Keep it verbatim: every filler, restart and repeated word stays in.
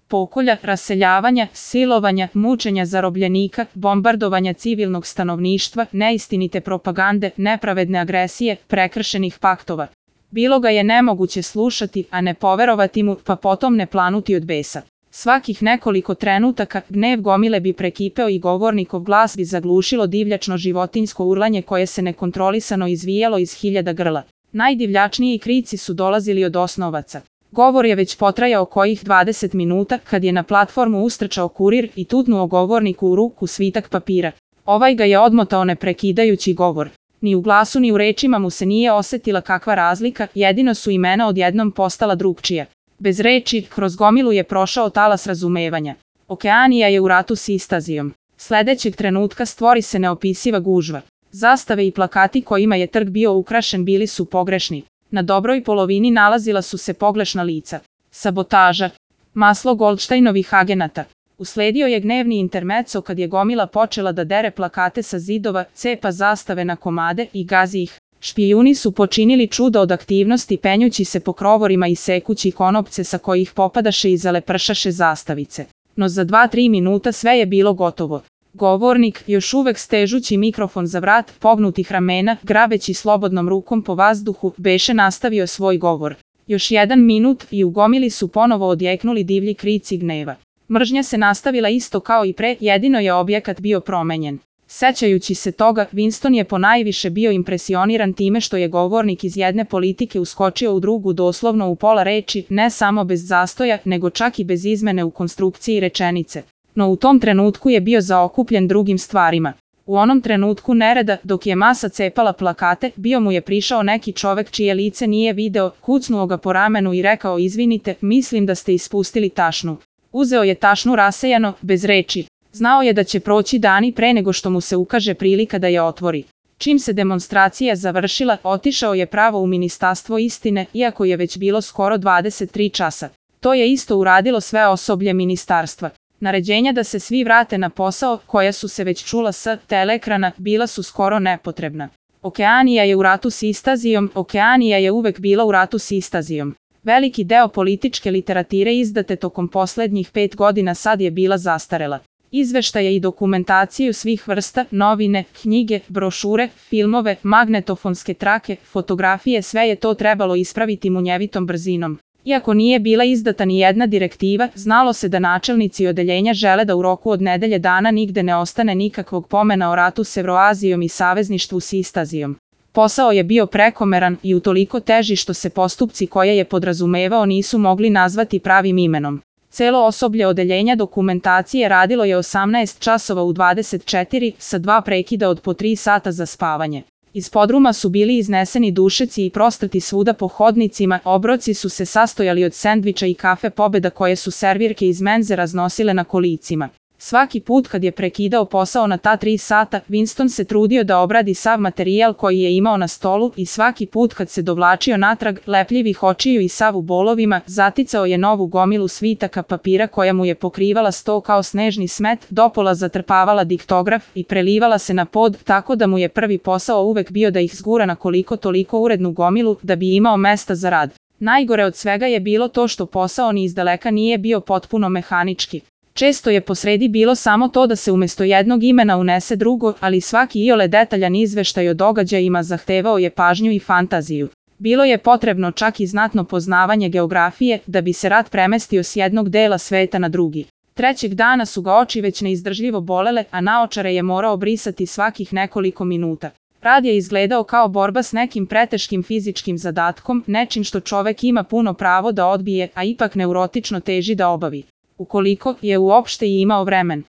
pokolja, raseljavanja, silovanja, mučenja zarobljenika, bombardovanja civilnog stanovništva, neistinite propagande, nepravedne agresije, prekršenih paktova. Bilo ga je nemoguće slušati, a ne poverovati mu, pa potom ne planuti od besa. Svakih nekoliko trenutaka gnev gomile bi prekipeo i govornikov glas bi zaglušilo divljačno životinjsko urlanje koje se nekontrolisano izvijalo iz hiljada grla. Najdivljačniji krici su dolazili od osnovaca. Govor je već potrajao kojih dvadeset minuta kad je na platformu ustrčao kurir i tutnuo govorniku u ruku svitak papira. Ovaj ga je odmotao ne prekidajući govor. Ni u glasu ni u rečima mu se nije osetila kakva razlika, jedino su imena odjednom postala drugčija. Bez reči, kroz gomilu je prošao talas razumevanja. Okeanija je u ratu s Istazijom. Sledećeg trenutka stvori se neopisiva gužva. Zastave i plakati kojima je trg bio ukrašen bili su pogrešni. Na dobroj polovini nalazila su se pogrešna lica. Sabotaža. Maslo Goldsteinovih agenata. Usledio je gnevni intermezzo kad je gomila počela da dere plakate sa zidova, cepa zastave na komade i gazi ih. Špijuni su počinili čudo od aktivnosti penjući se po krovorima i sekući konopce sa kojih popadaše i zalepršaše zastavice. No za dva tri minuta sve je bilo gotovo. Govornik, još uvek stežući mikrofon za vrat, pognutih ramena, grabeći slobodnom rukom po vazduhu, beše nastavio svoj govor. Još jedan minut i u gomili su ponovo odjeknuli divlji krici gneva. Mržnja se nastavila isto kao i pre, jedino je objekat bio promenjen. Sećajući se toga, Winston je ponajviše bio impresioniran time što je govornik iz jedne politike uskočio u drugu doslovno u pola reči, ne samo bez zastoja, nego čak i bez izmene u konstrukciji rečenice. No u tom trenutku je bio zaokupljen drugim stvarima. U onom trenutku nereda, dok je masa cepala plakate, bio mu je prišao neki čovek čije lice nije video, kucnuo ga po ramenu i rekao izvinite, mislim da ste ispustili tašnu. Uzeo je tašnu rasejano, bez reči. Znao je da će proći dani pre nego što mu se ukaže prilika da je otvori. Čim se demonstracija završila, otišao je pravo u Ministarstvo istine, iako je već bilo skoro dvadeset tri časa. To je isto uradilo sve osoblje ministarstva. Naređenja da se svi vrate na posao, koja su se već čula sa teleekrana, bila su skoro nepotrebna. Okeanija je u ratu s Istazijom, Okeanija je uvek bila u ratu s Istazijom. Veliki deo političke literatire izdate tokom poslednjih pet godina sad je bila zastarela. Izveštaje i dokumentaciju svih vrsta, novine, knjige, brošure, filmove, magnetofonske trake, fotografije, sve je to trebalo ispraviti munjevitom brzinom. Iako nije bila izdata ni jedna direktiva, znalo se da načelnici odeljenja žele da u roku od nedelje dana nigde ne ostane nikakvog pomena o ratu s Evroazijom i savezništvu s Istazijom. Posao je bio prekomeran i utoliko teži što se postupci koje je podrazumevao nisu mogli nazvati pravim imenom. Celo osoblje odeljenja dokumentacije radilo je osamnaest časova u dvadeset četiri sa dva prekida od po tri sata za spavanje. Iz podruma su bili izneseni dušeci i prostrti svuda po hodnicima, obroci su se sastojali od sendviča i kafe Pobeda koje su servirke iz menze raznosile na kolicima. Svaki put kad je prekidao posao na ta tri sata, Winston se trudio da obradi sav materijal koji je imao na stolu i svaki put kad se dovlačio natrag, lepljivih očiju i sav u bolovima, zaticao je novu gomilu svitaka papira koja mu je pokrivala sto kao snežni smet, dopola zatrpavala diktograf i prelivala se na pod, tako da mu je prvi posao uvek bio da ih zgura na koliko toliko urednu gomilu da bi imao mesta za rad. Najgore od svega je bilo to što posao ni izdaleka nije bio potpuno mehanički. Često je posredi bilo samo to da se umesto jednog imena unese drugo, ali svaki iole detaljan izveštaj o događajima zahtevao je pažnju i fantaziju. Bilo je potrebno čak i znatno poznavanje geografije da bi se rat premestio s jednog dela sveta na drugi. Trećeg dana su ga oči već neizdržljivo bolele, a naočare je morao brisati svakih nekoliko minuta. Rad je izgledao kao borba s nekim preteškim fizičkim zadatkom, nečim što čovek ima puno pravo da odbije, a ipak neurotično teži da obavi. Ukoliko je uopšte i imao vremen.